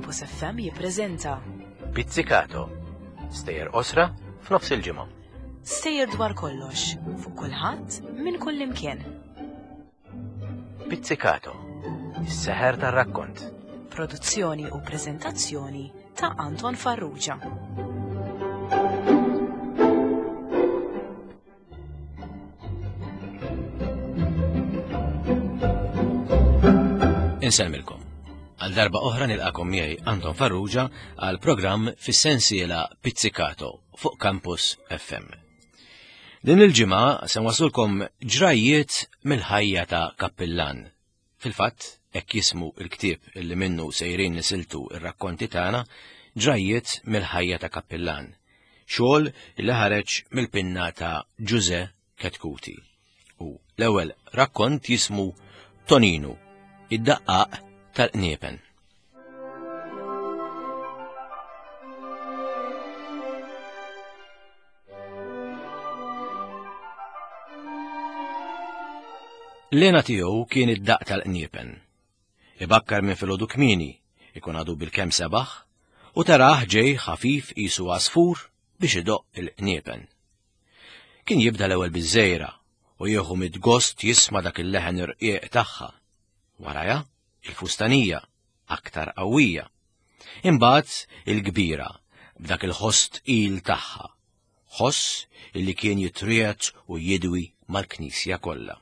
Campus FM jippreżenta Pizzicato. Stejjer qosra f'nofs il-ġimgħa. Stejjer dwar kollox, fuq kulħadd, minn kull imkien. Pizzicato. Is-seħer tar-rakkont. Produzzjoni u preżentazzjoni ta' Anton Farrugia. Insellmilkom. Għal darba oħra nilqakom miegħi Anton Farrugia għal programm fis-sensiela Pizzicato fuq Campus FM. Din il-ġimgħa se nwaslulkom ġrajjiet mill-ħajja ta' kappillan. Fil-fatt, hekk jismu l-ktieb li minnu sejrin nisiltu r-rakkonti tagħna, Ġrajjiet mill-ħajja ta' kappillan, xogħol li ħareġ mill-pinna ta' Ġużè Chetcuti. U l-ewwel rakkont jismu Toninu, id-daqqaq tal-qniepen. L-hena tiegħu kien id-daqq tal-qniepen. Ibakkar minn filgħodu kmieni, ikun għadu bilkemm sebaħ, u tarah ġej ħafif qisu għasfur biex idoqq il-qniepen. Kien jibda l-ewwel biż-żejra u jieħu mid-gost jisma' dak il-leħen irqiq tagħha. Warajha, il-fustanija, aktar qawwija. Imbagħad il-kbira b'dak il-ħoss tqil tagħha, ħoss illi kien jitriegħed u jidwi mal-knisja kollha.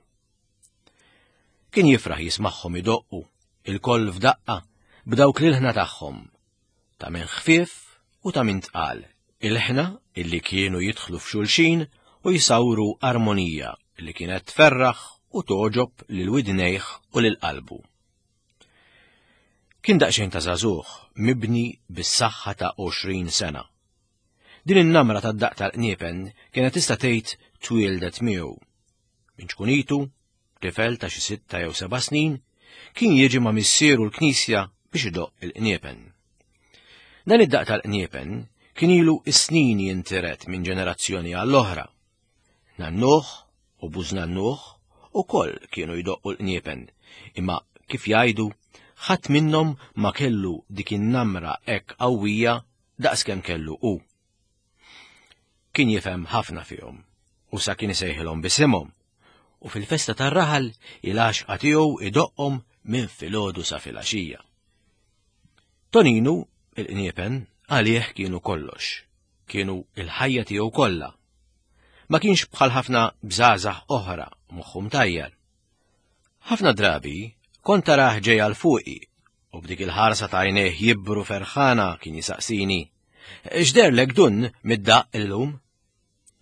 Kien jifraħ jismagħhom idoqqu, ilkoll f'daqqa, b'dawk l-ilħna tagħhom, ta' min ħfief u ta' min tqal, ilħna illi kienu jidħlu f'xulxin u jsawru armonija li kienet tferraħ u togħġob lil widnejh u lil qalbu. Kien daqsxejn ta' żagħżugħ mibni bis-saħħa ta' 20 sena. Din in-namra tad-daqq tal-qniepen kienet tista' tgħid twieldet miegħu. Minn ċkunitu, tifel ta' xi sitta jew seba' snin, kien jiġi ma' missieru l-knisja biex idoqq il-qniepen. Dan id-daqq tal-qniepen kien ilu s-snin jintiret minn ġenerazzjoni għall-oħra. Nannuh u bużnannuh ukoll kienu jdoqqu l-qniepen, imma kif jgħidu, ħadd minnhom ma kellu dik in-namra hekk qawwija daqskemm kellu hu. Kien jifhem ħafna fihom u sa kien isejħilhom b'isimhom u fil-festa tar-raħal il-għaxqa tiegħu idoqqhom minn filgħodu sa filgħaxija. Toninu, il-qniepen, għalih kienu kollox, kienu il-ħajja tiegħu kollha. Ma kienx bħal ħafna bżgħażagħ oħra moħħu mtajjar. Ħafna drabi kont tarah ġej għal fuqi u b'dik il-ħarsa ta' għajnejh jibbru ferħana kien jisaqsini, X'derlek dun mid-daqq illum?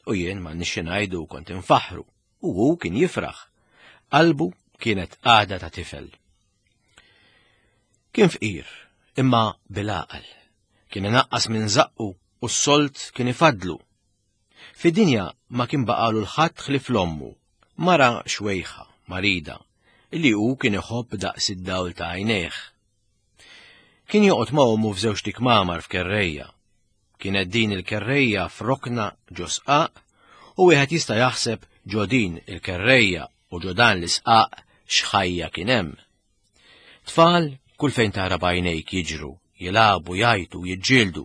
U jien ma nixxi ngħidu kont infaħħru u hu kien jifraħ. Qalbu kienet għada ta' tifel. Kien fqir, imma bil-għaqal. Kien inaqqas minn żaqqu u s-sold kien ifaddlu. Fid-dinja ma kien baqalu l-ħadd ħlief l-ommu, mara xwejħa, marida, li hu kien iħobb daqs id-dawl ta' għajnejh. Kien joqgħod ma' ommu f'żewġt ikmamar f'kerrejja. Kienet din il-kerrejja f'rokna ġo sqaq u wieħed jista' jaħseb ġo din il-kerrejja u ġo dan l-isqaq x'ħajja kien hemm. Tfal kull fejn tara b'għajnejk jiġru, jilagħbu, jgħajtu, jiġġieldu.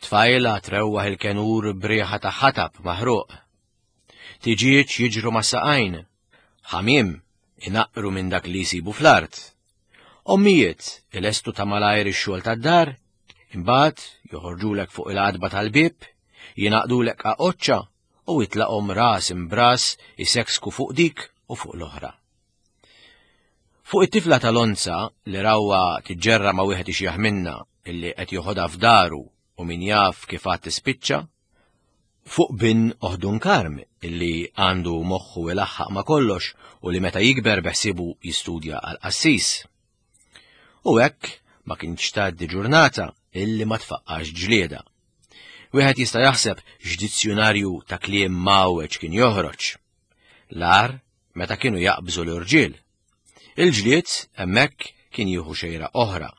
Tfajla trewwaħ il-kenur b'riħa ta' ħatab maħruq. Tiġieġ jiġru ma' saqajn. Ħamiem inaqqru minn dak li jsibu fl-art. Ommijiet ilestu ta' malajr ix-xogħol tad-dar, imbagħad joħorġulek fuq il-għatba tal-bieb, jingħaqdulek qaqoċċa u jitlaqhom ras imbras iseksku fuq dik u fuq l-oħra. Fuq it-tifla tal-onza li rawha tiġġerra ma' wieħed ixjaħ minna illi qed joħodha f'daru u min jaf kif għad tispiċċa, fuq bin Oħdun Karm illi għandu moħħu ilaħħaq ma' kollox u li meta jikber beħsiebu jistudja għal qassis. U hekk ma kienx tgħaddi ġurnata illi ma tfaqqax ġlieda. Wieħed jista' jaħseb x'dizzjunarju ta' kliem mgħawweġ kien joħroġ. L-agħar meta kienu jaqbżu l-irġiel. Il-ġlied hemmhekk kien jieħu xejra oħra.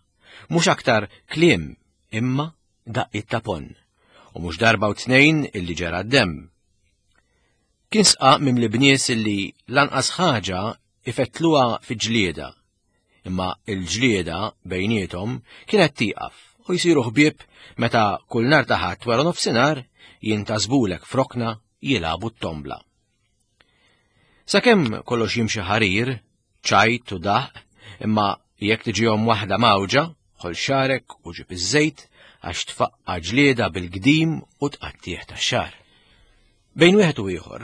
Mhux aktar kliem imma daqqiet ta' ponn. U mhux darba u tnejn illi ġera d-demm. Kien sqaq mimli bnies illi lanqas ħaġa ifettluha fi ġlieda. Imma il-ġlieda bejniethom kienet tieqaf u jsiru ħbieb meta kull nhar ta' Ħadd wara nofsinhar jintasbulek f'rokna jilagħbu t-tombla. Sakemm kollox jimxi ħarir, ċajt u daħq, imma jekk tiġihom waħda mawġa, ħol xarek u ġib iż-żejt għax tfaqqa ġlieda bil-gdim u tqattieħ tax-xar. Bejn wieħed u ieħor,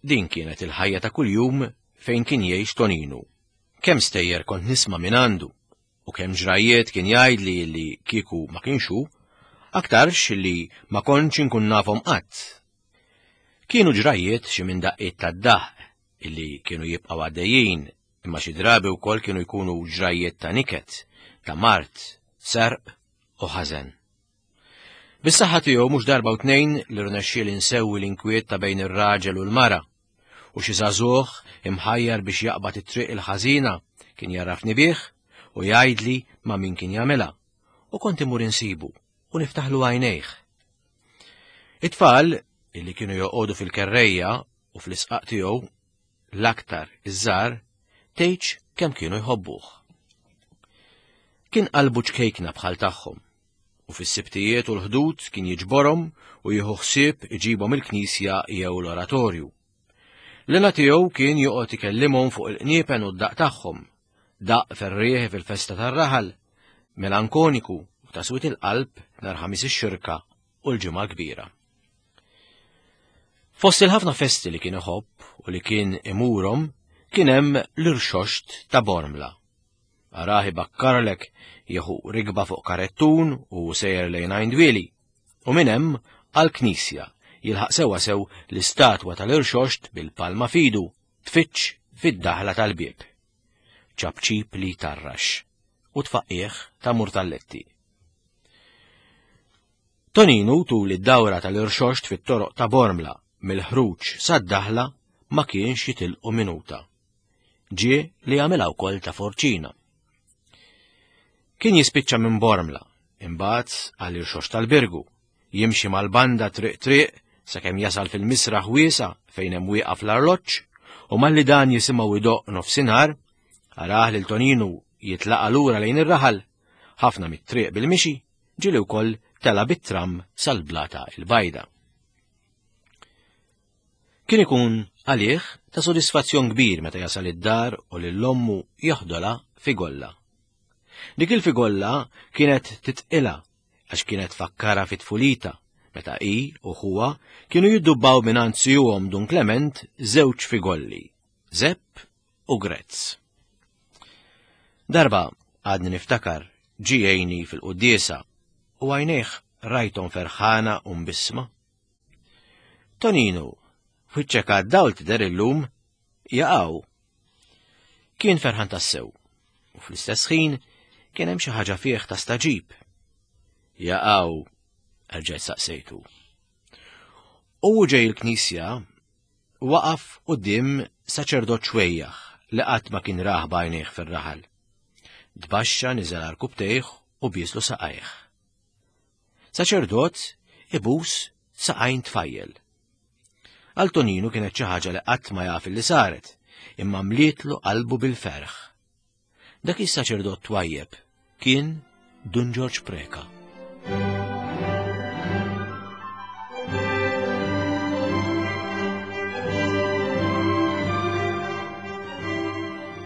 din kienet il-ħajja ta' kuljum fejn kien jgħix Toninu. Kemm stejjer kont nisma' minn għandu u kemm ġrajjiet kien jgħidli li kieku ma kienx hu, aktarx li ma kontx inkun nafhom qatt. Kienu ġrajjiet xi minn daqqiet tad-daħq illi kienu jibqgħu għaddejjin, imma xi drabi wkoll kienu jkunu ġrajjiet ta' niket, ta' mard, serq u ħażen. Bis-saħħa tiegħu mhux darba u tnejn li rnexxieli nsewwi l-inkwiet ta' bejn ir-raġel u l-mara, u xi żagħżugħ imħajjar biex jaqbad it-triq il-ħażina kien jarrafni bih u jgħidli ma' min kien jagħmilha, u kont imur insibu u niftaħlu għajnejh. It-tfal illi kienu joqogħdu fil-kerrejja u fl-isqaq tiegħu l-aktar iż-żgħar tgħidx kemm kienu jħobbuh. Kien qalbu ċkejkna bħal tagħhom u fis-sibtijiet u l-ħdud kien jiġborhom u jieħu ħsieb iġibhom il-knisja jew l-oratorju. L-għena tiegħu kien joqgħod ikellimhom fuq il-qniepen u d-daq tagħhom, daq ferrieħi fil-festa tar-raħal, melankoniku u ta' swiet il-qalb nhar Ħamis ix-Xirka u l-Ġimgħa l-Kbira. Fost il-ħafna festi li kien iħobb u li kien imurhom kien hemm l-irxoxt ta' Bormla. Arah ibakkarlek jieħu rikba fuq karettun u sejjer lejn Għajn Dwieli u minn hemm għall-knisja jilħaq sewwa sew l-istatwa tal-irxoxt bil-palma fidu tfittx fid-daħla tal-bieb. Ċapċip li jtarrax u tfaqqigħ ta' murtalletti. Toninu tul id-dawra tal-irxoxt fit-toroq ta' Bormla mill-ħruġ sad-daħla ma kienx jitilqu minuta. Ġie li għamilha wkoll ta' forċina. Kien jispiċċa minn Bormla, imbagħad għal irxoxt tal-Birgu, jimxi mal-banda triq triq sakemm jasal fil-misraħ wiesa fejn hemm wieqaf l-arloġġ u malli dan jisimgħu idoqq nofsinhar, arah lil Toninu jitlaqa' lura lejn ir-raħal, ħafna mit-triq bil-mixi, ġieli wkoll tela' bit-tram sal-Blata il-Bajda. Kien ikun għalih ta' sodisfazzjon kbir meta jasal id-dar u lil ommu joħdolha figolla. Dik il-figolla kienet titqilha għax kienet fakkara fit-tfulita meta hi u ħuha kienu jiddubbaw mingħand sijuhom Dun Klement żewġ figolli, Zepp u Grezz. Darba għadni niftakar ġie jgħinni fil-quddiesa u għajnejh rajthom ferħana u mbissma. Toninu, wiċċek għad-dawl tidher illum, jaqaw. Kien ferħan tassew, u fl-istess ħin kien hemm xi ħaġa fih ta' staġib. Jaqaw, erġajt saqsejtu. U ġej il-knisja waqaf quddiem saċerdot xwejjaħ li qatt ma kien rah b'għajnejh fir-raħal. Tbaxxa niżel għarkupptejh u bieslu saqajh. Saċerdot ibus saqajn tfajjel. Għal Toninu kienet xi ħaġa li qatt ma jaf li saret, imma mlietlu qalbu bil-ferħ. Dak is-saċerdot twajjeb kien Dun Ġorġ Preca.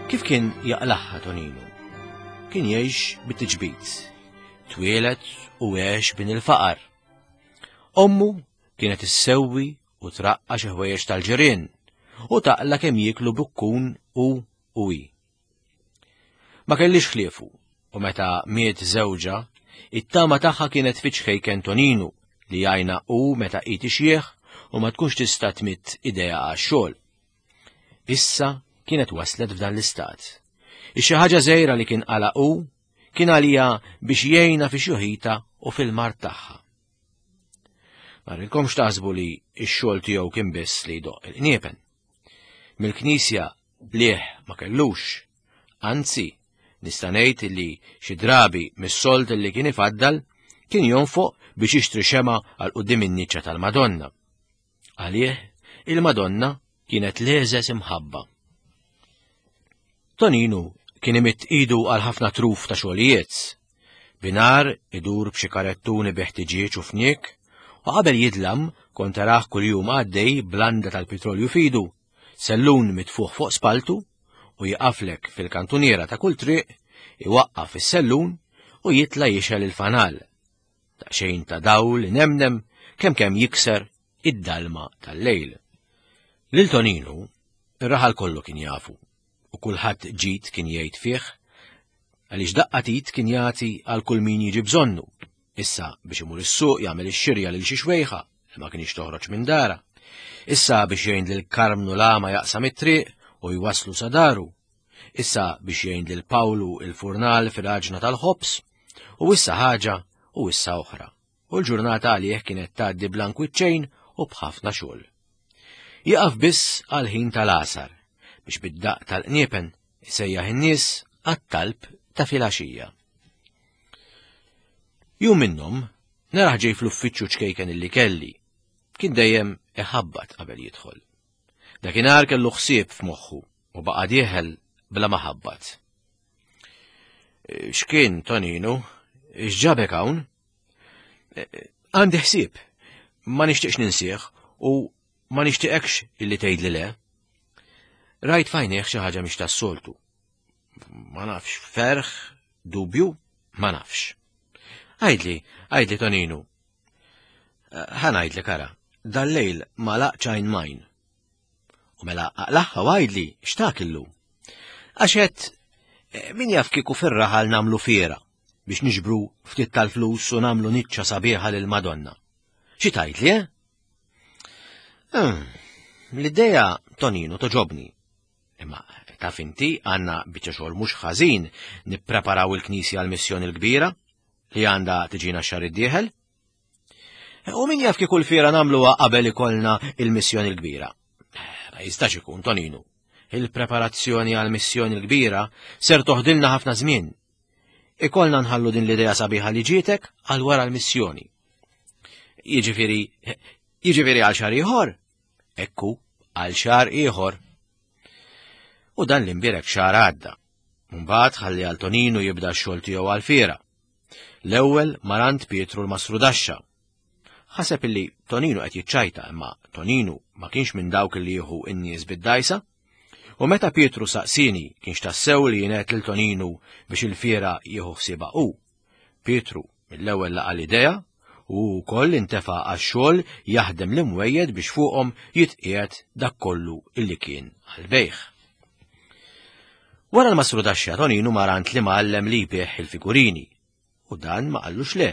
Kif kien jaqlaħħa Toninu? Kien jgħix bit-tiġbid. Twieled u għex bin il-faqar. Ommu kienet issewwi u traqqa xi ħwejjeġ tal-ġirien u taqla kemm jieklu bukkun u u hi. Ma kellix ħliefu u meta miet żewġha, it-tama tagħha kienet fi ċkejken Toninu li jgħajna u meta hi tixjieħ u ma tkunx tista' tmidd idejha għax-xogħol. Issa kienet waslet f'dan l-istat. Ix-xi ħaġa żgħira li kien qala hu kien għalija biex jgħinha fi xjuħita u fil-mard tagħha. Ma rridkomx taħsbu li x-xogħol tiegħu kien biss li jdoqq il-qniepen. Mill-knisja blieh ma kellux. Anzi, nista' ngħid li xi drabi mis-sold li kien ifaddal kien jonfoq biex jixtri xema għal quddiem in-niċċa tal-Madonna. Għalih, il-Madonna kienet l-eżes imħabba. Toninu Kien imidd idu għal ħafna truf ta' xogħlijiet. Binar idur b'xi karettuni bi ħtiġieġ u fniek, u qabel jidlam kont tarah kuljum għaddej blanda tal-pitrolju fidu, sellun mitfuħ fuq spaltu u jiqaflek fil-kantuniera ta' kull triq, iwaqqaf is-sellun u jitla' jixgħel il-fanal. Daqsxejn ta' dawl inemnem kemm kemm jikser id-dalma tal-lejl. Lil Toninu, ir-raħal kollu kien jafu u kulħadd ġid kien jgħid fih għaliex daqqa tit kien jagħti għal kull min jiġi bżonnu. Issa biex imur is-suq jagħmel ix-xirja lil xi xwejħa li ma kienx toħroġ minn dara. Issa biex jgħin lil Karmnu l-għama jaqsam it-triq u jwaslu sa daru. Issa biex jgħin lil Pawlu il-furnal fil-għaġna tal-ħobż u issa ħaġa u issa oħra. U l-ġurnata għalih kienet tgħaddi bla nkwiċċejn u b'ħafna xogħol. Jieqaf biss għal ħin tal-għasar biex bid-daqq tal-qniepen isejjaħ in-nies għat-talb ta' filgħaxija. Jum minnhom naraħ ġej fl-uffiċċju ċkejken illi kelli. Kien dejjem iħabbat qabel jidħol. Dakinhar kellu ħsieb f'moħħu u baqa' dieħel bla ma ħabbat. X'kien, Toninu? X'ġabek hawn? Għandi ħsieb. Ma nixtieqx ninsieħ u ma nixtieqekx illi tgħidli le. Rajt fajnieh xi ħaġa mhix tas-soltu. Ma nafx, ferħ, dubju, ma nafx. Għidli, għidli Toninu. Ħa ngħidlek ara, dal-lejl ma laqċajn majn. U mela aqlaħħa u għidli x'tak illum. Għax qed eh, min jaf kieku fir-raħal nagħmlu fiera biex niġbru ftit tal-flus u nagħmlu niċċa sabiħa lil Madonna. Xi tgħidli, eh? Hmm, l-idea Tonino toġobni. Imma taf inti għandna biċċa xogħol mhux ħażin nippreparaw il-Knisja għall-missjoni l-kbira li għandha tiġina x-xahar id-dieħel. U min jaf kieku l-fiera nagħmluha qabel ikollna il-missjoni l-kbira. Ma jistax ikun, Toninu. Il-preparazzjoni għall-missjoni l-kbira ser toħdilna ħafna żmien. Ikollna nħallu din l-idea sabiħa li ġietek għal wara l-missjoni. Jiġifieri, jiġifieri għal xahar ieħor? Ekku, għal xahar ieħor. U dan l-imbierek xahar għadda. Mbagħad ħalli għal Toninu jibda x-xogħol tiegħu għal-fiera. L-ewwel mar għand Pietru l-Mastrudaxxa. Ħaseb illi Toninu qed jiċċajta imma Toninu ma kienx minn dawk li jieħu n-nies bid-dajsa. U meta Pietru saqsini kienx tassew li jien lil Toninu biex il-fiera jieħu ħsiebha hu. Pietru mill-ewwel laqa' l-idea u hu wkoll intefa' għax-xogħol jaħdem l-imwejjed biex fuqhom jitqiegħed dak kollu illi kien għall-bejgħ. Wara l-mastrudaxxa Toninu mar għand l-imgħallem li jbigħ il-figurini u dan ma qallux le,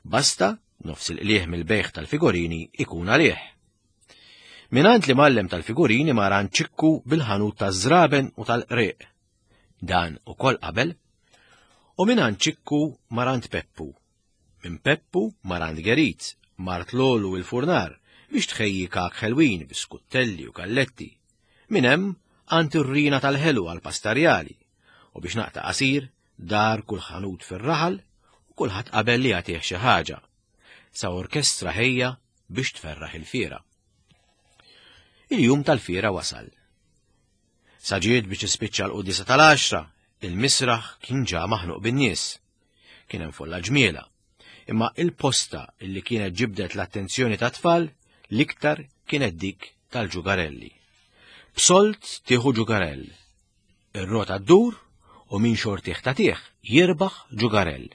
basta nofs il-qligħ mill-bejgħ tal-figurini ikun għalih. Mingħand l-imgħallem tal-figurini mar għand Ċikku bil-ħanut taż-żraben u tal-qrieq. Dan ukoll qabel. U mingħand Ċikku mar għand Peppu Minn Peppu mar għand Gerit, mart Lolu il-furnar, biex tħejji kak ħelwin, biskuttelli u kalletti. Minn hemm għand ir-rina tal-ħelu għal pastarjali, u biex naqta' qasir, dar kull ħanut fir-raħal u kulħadd qabel li jagħtih xi ħaġa. Sa orkestra ħejja biex tferraħ il-fiera. Il-jum tal-fiera wasal. Sa ġiet biex tispiċċa l-quddiesa tal-għaxra, il-misraħ kien ġa maħnuq bin-nies. Kien hemm folla ġmiela. Imma il-posta li kienet ġibdet l-attenzjoni tat-tfal l-iktar kienet dik tal-ġugarelli. B'sold tieħu ġugarell. Ir-rota ddur u min xortih tagħtih jirbaħ ġugarell.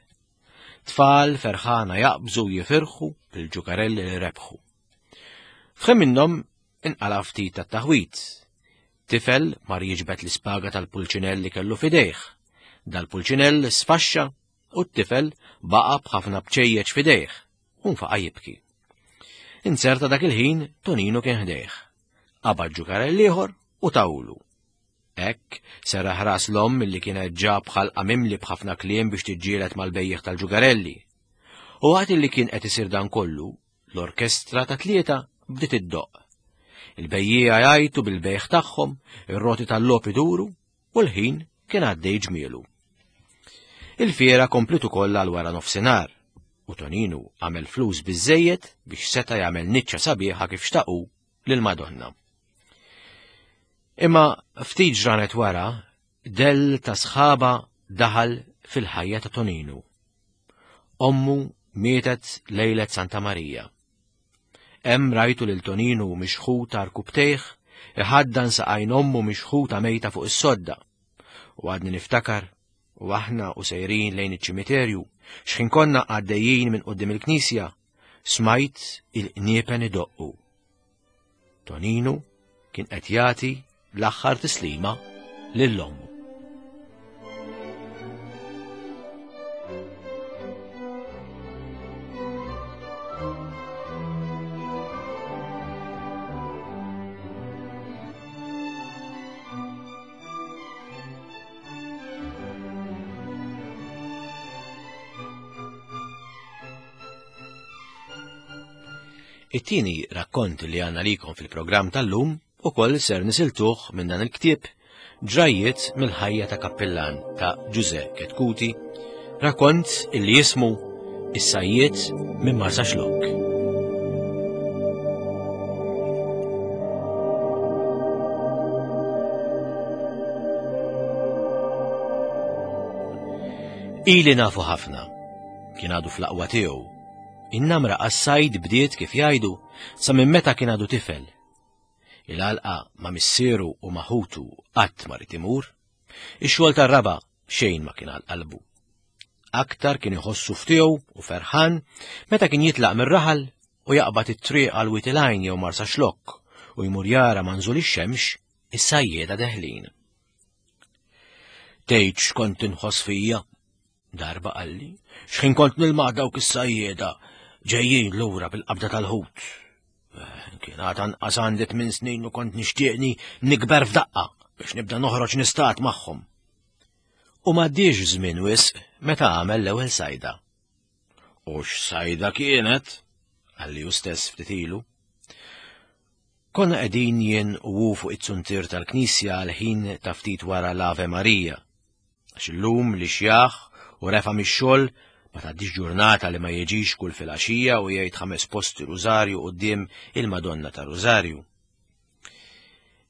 Tfal ferħana jaqbżu jifirħu bil-ġugarelli li rebħu. F'ħin minnhom inqala' ftit tat-taħwid. Tifel mar jiġbed l-ispaga tal-pulċinell li kellu f'idejh. Dal-pulċinell sfaxxa u t-tifel baqa' b'ħafna bċejjeċ f'idejh u nfaqa' jibki. Inzerta dak il-ħin Toninu kien ħdejh. Qabad ġukarell ieħor u tawlu. Hekk serraħ ras l-omm li kienet ġa b'ħalqa mimli b'ħafna kliem biex tiġġieled mal-bejjiegħ tal-ġugarelli. U waqt li kien qed isir dan kollu, L-orkestra ta' tlieta bdiet iddoqq. Il-bejjiegħa jgħajtu bil-bejgħ tagħhom, ir-roti tal-logħob iduru u l-ħin kien għaddej ġmielu. Il-fiera kompliet ukoll għal wara nofsinhar u Toninu għamel flus biżejjed biex seta' jagħmel niċċa sabiħa kif xtaqu lil Madonna. Imma ftit ġranet wara, Dell ta' sħaba daħal fil-ħajja ta' Toninu. Ommu mietet lejlet Santa Marija. Hemm rajtu lil Toninu mixħut għar-rkubbtejh, iħaddan saqajn ommu mixħuta mejta fuq is-sodda. U għadni niftakar, u aħna u sejrin lejn iċ-ċimiterju, xħin konna għaddejjin minn quddiem il-knisja, smajt il-qniepen idoqqu. Toninu kien qed jagħti l-aħħar tislima lil ommu. It-tieni rakkont li għandna likom fil-programm tal-lum ukoll ser nisiltuh minn dan il-ktieb Ġrajjiet mill-ħajja ta' kappillan ta' Ġuże Ketkuti, rakkont illi jismu Is-sajjiet minn Marsaxlokk. Ili nafu ħafna, kien għadu fl-aqwa tiegħu. In-namra għas-sajd bdiet kif jgħidu sa minn meta kien għadu tifel. Il-għalqa ma' missieru u ma' ħutu qatt ma rid imur. Ix-xogħol tar-raba' xejn ma kien għal qalbu. Aktar kien iħossu ftiegħu u ferħan meta kien jitlaq mir-raħal u jaqbad it-triq għal Wied il-Għajn jew Marsaxlokk u jmur jara ma' nżul ix-xemx is-sajjieda deħlin. Tgħid x'kont inħoss fija? Darba qalli, x'ħin kont nilma' dawk is-sajjieda ġejjin lura bil-qabda tal-ħut. Eh, kien għad anqas għandi tmien snin u kont nixtieqni nikber f'daqqa biex nibda noħroġ nistat magħhom. U m'għaddiex żmien wisq meta għamel l-ewwel sajda. U x'sajda kienet? Qalli hu stess ftit ilu. Konna qegħdin jien u hu fuq it-suntier tal-knisja għal ħin ta' ftit wara l-Ave Marija. Għax illum li xjaħ u refa' mix-xogħol ma tgħaddix ġurnata li ma jiġix kull filgħaxija u jgħid ħames posti rużarju quddiem il-Madonna ta' Rużarju.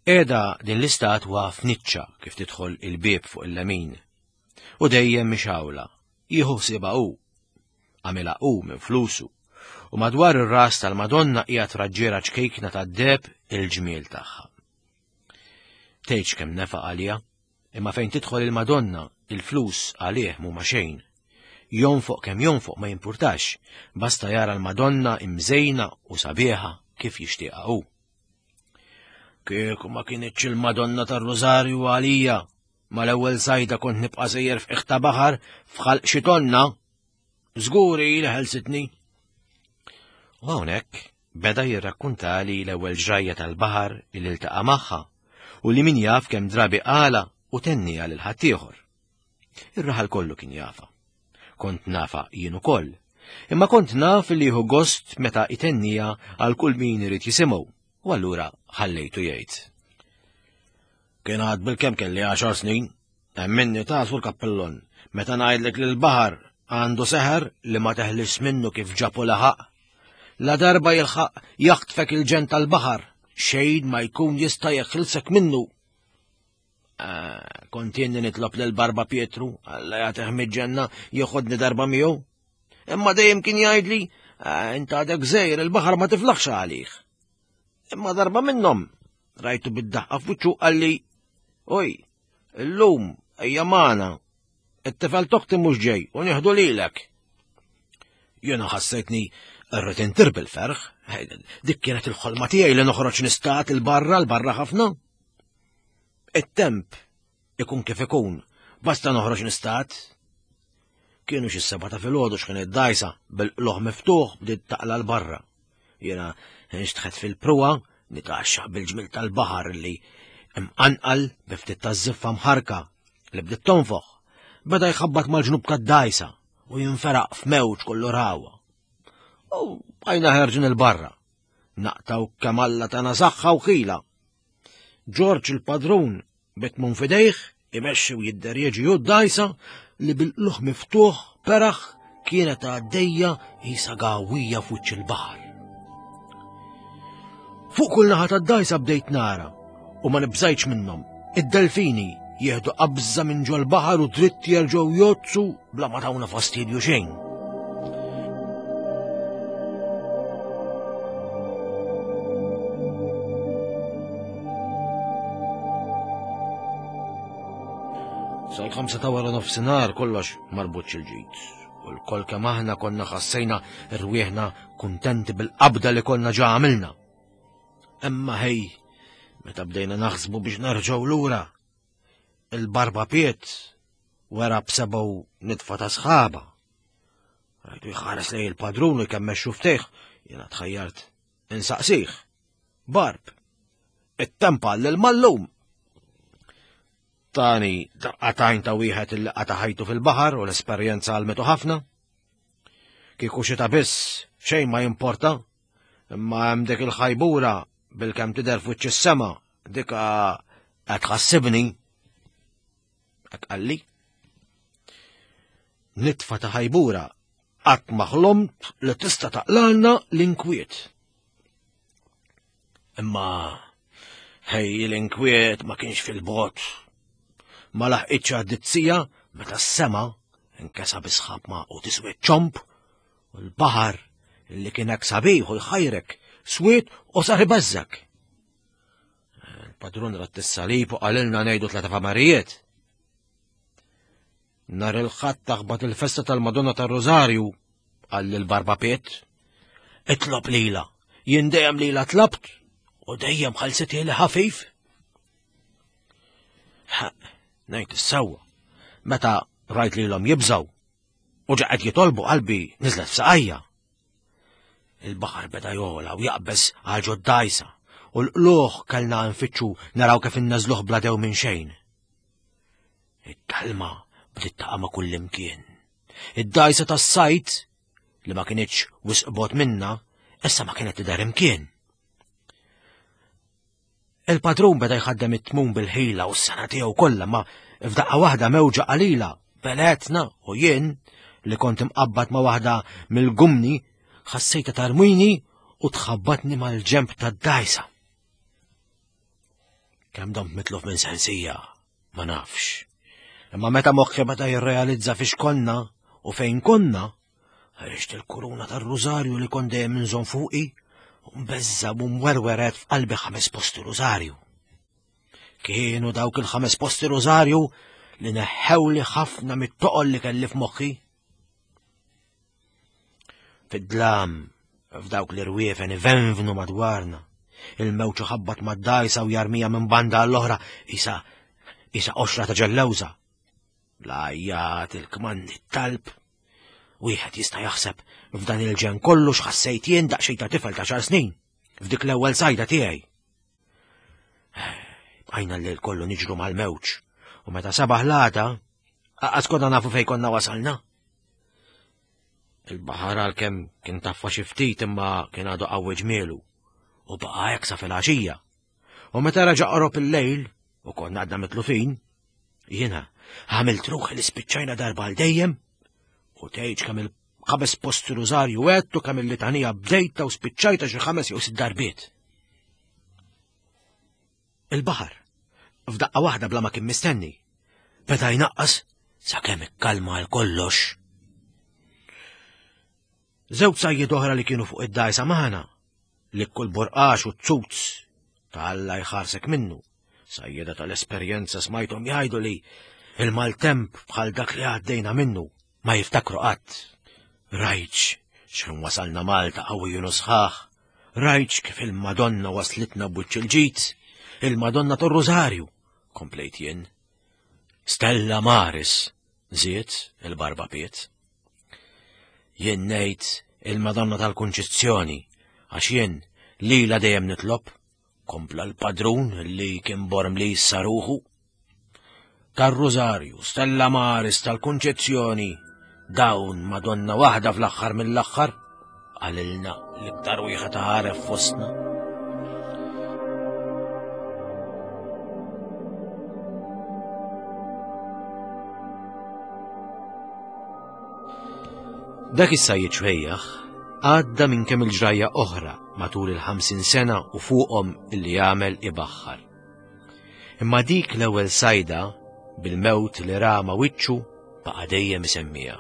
Qiegħda din l-istatwa f'niċċa kif tidħol il-bieb fuq il-lemin. U dejjem mixgħula. Jieħu ħsiebha hu. Għamilha hu minn flusu. U madwar ir-ras tal-Madonna qiegħed raġġiera ċkejkna tad-deheb il-ġmiel tagħha. Tgħidx kemm nefaq għaliha, imma fejn tidħol il-Madonna, il-flus għalih mhuma xejn. Jonfoq kemm jonfoq ma jimpurtax, basta jara l-Madonna imżejna u sabiħa kif jixtieqha hu. Kieku ma kinitx il-Madonna tar-Rużarju għalija, mal-ewwel sajda kont nibqa' sejjer f'qiegħ ta' baħar f'ħalq xi tonna. Żgur hi li ħelsitni. U hawnhekk beda jirrakkuntali l-ewwel ġrajja tal-baħar li ltaqa' magħha u li min jaf kemm drabi qala u tenniha lil ħaddieħor. Ir-raħal kollu kien jafa. Kont nafa jien ukoll. Imma kont naf li jieħu gost meta itennija għal kull min irid jisimgħu, u allura ħallejtu jgħid. Kien għad bil-kemm kelli għaxar snin, emminni ta' sur kappellon, meta ngħidlek li l-baħar għandu seħer li ma teħlis minnu kif ġapu laħaq. La darba jilħaq jaħtfek il-ġen tal-baħar, xejn ma jkun jista' jeħilsek minnu. Ah, kont jenni nitlob lil Barba Pietru, Alla jagħtih miġġenna joħodni darba miegħu. Imma dejjem kien jgħidli, ah, int għadek żejr il-baħar ma tiflaħx għalih. Imma darba minnhom rajtu bid-daħqa f'wiċċu qalli, oj, illum ejja magħna, it-tifel toħti mhux ġej u nieħdu lilek. Jiena ħassejtni rrid intir bil-ferħ, dik kienet il-ħolma tiegħi li noħroġ nistat il-barra l-barra ħafna. It-temp ikun kif ikun, basta noħroġ nistat. Kienu xi seba ta' filgħodu x'kien id-dajsa bil-qloħ miftuħ bdiet taqla l-barra. Jiena nxtħet fil-pruwa nitgħaxxaq bil-ġmil tal-baħar li imqanqal bi ftit taż-żiffa mħarka li bdiet tonfoħ. Beda jħabbat mal-ġnub tad-dajsa u jinferaq f'mewġ kollu rawa. U bqajna ħerġin il-barra. Naqtaw kemm Alla tana saħħa u ħila. Ġorġ il-padrun bit-tmun f'idejh imexxi u jidderieġi hu d-dgħajsa li bil-qluħ miftuħ peraħ kienet għaddejja qisha gawwija f'wiċċ il-baħar. Fuq kull naħa tad-dgħajsa bdejt nara u ma nibżajtx minnhom id-delfini jieħdu qabża minn ġol-baħar u dritt jerġgħu jozzu bla ma tawna fastidju xejn. Sal-ħamsa ta' wara nofsinhar kollox marbut il-ġid. U l-kol kemm aħna konna ħassejna rwieħna kuntenti bil-qabda li konna ġa għamilna. Imma ħej, meta bdejna naħsbu biex nerġgħu lura, il-barba piet wera b'sebgħu nitfa ta' sħaba. Rajtu jħares lej il-padrun u jkemmex xuftejh, jiena tħajjart insaqsih. Barb, it-tempa l-mallum. Tani daqqatajn ta' wieħed illi qata' ħajtu fil-baħar u l-esperjenza għalmetu ħafna. Kieku xita biss xejn ma jimporta, imma hemm dik il-ħajbura bil-kemm tidher f'wiċċ is-sema dik qed tħassibni. Hekk qalli. Nitfa ta' ħajbura qatt ma ħlomt li tista' taqlalna l-inkwiet. Imma ħej l-inkwiet ma kienx fil-bot. Ma laħqitx għaddizzija meta s-sema nkesa bisħab ma u tiswed ċomp u l-baħar li kien hekk sabiħ u jħajrek swied u sar ibeżżek. Il-padrun rat is-salib u qalilna ngħidu tleta famarijiet. Nar il-ħadd taħbat il-festa tal-Madonna tar-Rożarju, qal lil Barba Piet. Itlob lila, jien dejjem lila tlabt u dejjem ħalsiti li ħafif. Ngħid is-sewwa, meta rajt lilhom jibżgħu u ġaqgħet jitolbu qalbi niżlet f'saqajja. Il-baħar beda jola u jaqbeż għal ġod-dajsa u l-qluħ kellna nfittxu naraw kif inneżluh bla dew minn xejn. It-talma bdiet taqa' ma' kullimkien. Id-dajsa tas-sajt li ma kinitx wisq bogħod minna, issa ma kienet tidher imkien. Il-padrun beda jħaddem it-tmun bil-ħila u s-sena tiegħu kollha ma f'daqqa waħda mewġa qalila beletna u jien li kont imqabbad ma' waħda mill-gumni ħassejta tarmini u tħabbatni mal-ġemp tad-dajsa. Kemm domt mitluf minn sensija, ma nafx. Imma meta moħħi beda jirrealizza fiex konna u fejn konna, ħriġt il-kuruna tar-rużarju li kont dejjem inżomm fuqi u mbeżza u mwerweret f'qalbi ħames posti rużarju. Kienu dawk il-ħames posti rużarju li neħħewli ħafna mit-toqol li kelli f'moħħi. Fid-dlam, f'dawk l-irwiefen ivenvnu madwarna, il-mewġ ħabbat mad-dajsa u jarmija minn banda għall-oħra isa isa qoxra ta' ġellewża. L-għajjat, il-kmandi, talb. Wieħed jista' jaħseb f'dan il-ġen kollu x'ħassejt jien daqsxejn ta' tifel ta' xar snin f'dik l-ewwel sajda tiegħi. Bqajna l-lejl kollu niġru mal-mewġ u meta sabaħ l-għada, għas konna nafu fejn konna wasalna. Il-baħar għalkemm kien taffa xi ftit imma kien għadu qawwi ġmielu u baqa' hekk sa filgħaxija. U meta raġa' qorob il-lejl u konna għadna mitlufin, jiena għamilt ruħi li spiċċajna darba għal dejjem u tgħidx kemm il-ħames post rużarju għedt u kemm il-litanija bdejta u spiċċajta xi ħames jew sitt darbiet. Il-baħar, f'daqqa waħda bla ma kien mistenni, beda jnaqqas sakemm ikkalma għal kollox. Żewġ sajjied oħra li kienu fuq id-dajsa magħna, li kull borqax u ċuts ta' Alla jħarsek minnu. Sajjeda tal-esperjenza smajthom jgħidu li il-maltemp bħal dak li għaddejna minnu ma jiftakru qatt. Rajtx x'ħin wasalna Malta qawwijin u sħaħ, rajtx kif il-Madonna waslitna b'wiċċ il-ġid, il-Madonna tor-Rużarju, komplejt jien. Stella Maris, żied il-Barba Piet. Jien ngħid il-Madonna tal-Kunċizzjoni, għax jien lila dejjem nitlob, kompla l-padrun li kien borm li jissa ruħu. Tar-Rużarju, Stella Maris tal-Kunċezzjoni, dawn Madonna waħda fl-aħħar mill-aħħar, qalilna l-iktar wieħed għaref fostna. Dak is-sajjied xwejjaħ għadda minn kemm il-ġrajja oħra matul il-50 sena u fuqhom illi jagħmel ibaħħar. Imma dik l-ewwel sajda Bil-mewt li ra ma' wiċċu baqa' dejjem isemmiha.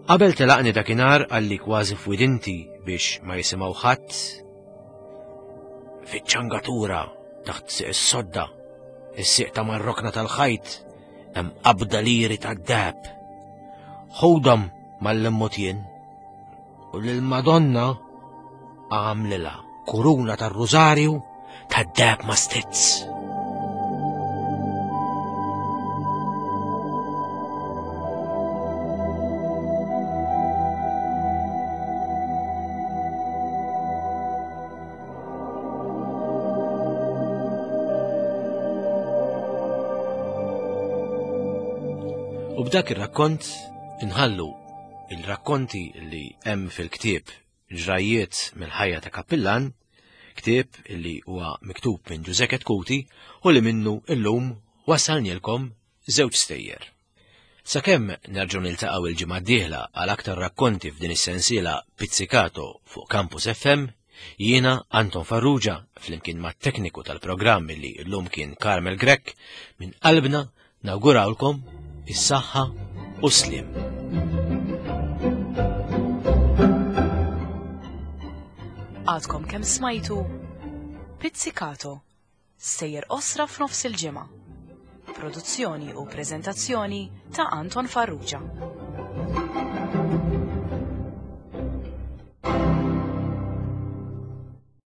Qabel telaqni dakinhar qalli kważi f'widinti biex ma jisimgħu ħadd fiċ-ċangatura taħt siq is-sodda, is-siq ta' mar-rokna tal-ħajt hemm qabda liri tad-deheb. Ħudhom mal-immut jien u lill-Madonna għamlilha kuruna tar-rużarju tad-deheb ma' stizz. U b'dak ir-rakkont inħallu il-rakkonti li hemm fil-ktieb Ġrajjiet mill-ħajja ta' kappillan, ktieb li huwa miktub minn Ġużè Chetcuti u li minnu illum wassalnielkom żewġ stejjer. Sakemm nerġgħu niltaqgħu il-ġimgħa d-dieħla għal aktar rakkonti f'din is-sensiela Pizzicato fuq Campus FM, jiena Anton Farrugia flimkien mat-tekniku tal-programm li llum kien Carmel Grech minn qalbna Nawgurawlkom is-saħħa u s-sliem. Għadkom kemm smajtu Pizzicato, sejjer qosra f'nofs il-ġimgħa. Produzzjoni u preżentazzjoni ta' Anton Farrugia.